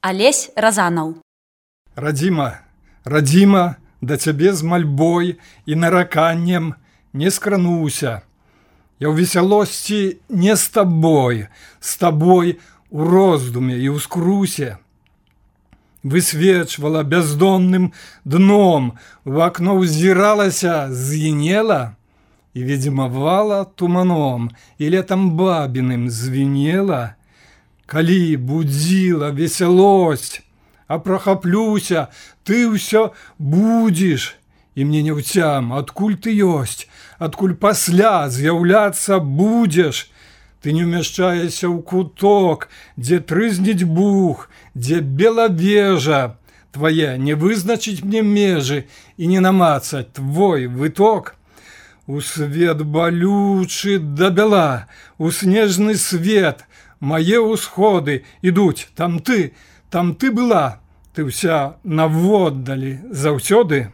Алесь Разанаў. Радзіма, радзіма, да цябе з мальбой і нараканнем не скрануся. Я ў весялосці не з табой у роздуме і ў скрусе. Высвечвала бяздонным дном, в акно ўзіралася, звенела і ведзьмавала туманом, і летам бабіным звенела. Калі будзіла весялосць, а прахаплюся, ты ўсё будзеш, і мне няўцям, адкуль ты ёсць, адкуль пасля з'яўляцца будзеш. Ты не ўмяшчаешся ў куток, дзе трызніць бух, дзе бела вежа. Твае не вызначыць мне межы і не намацаць твой выток. У свет балючы да бяла, у снежны свет, мае ўсходы ідуць, там ты была, ты ўся наводдалі заўсёды.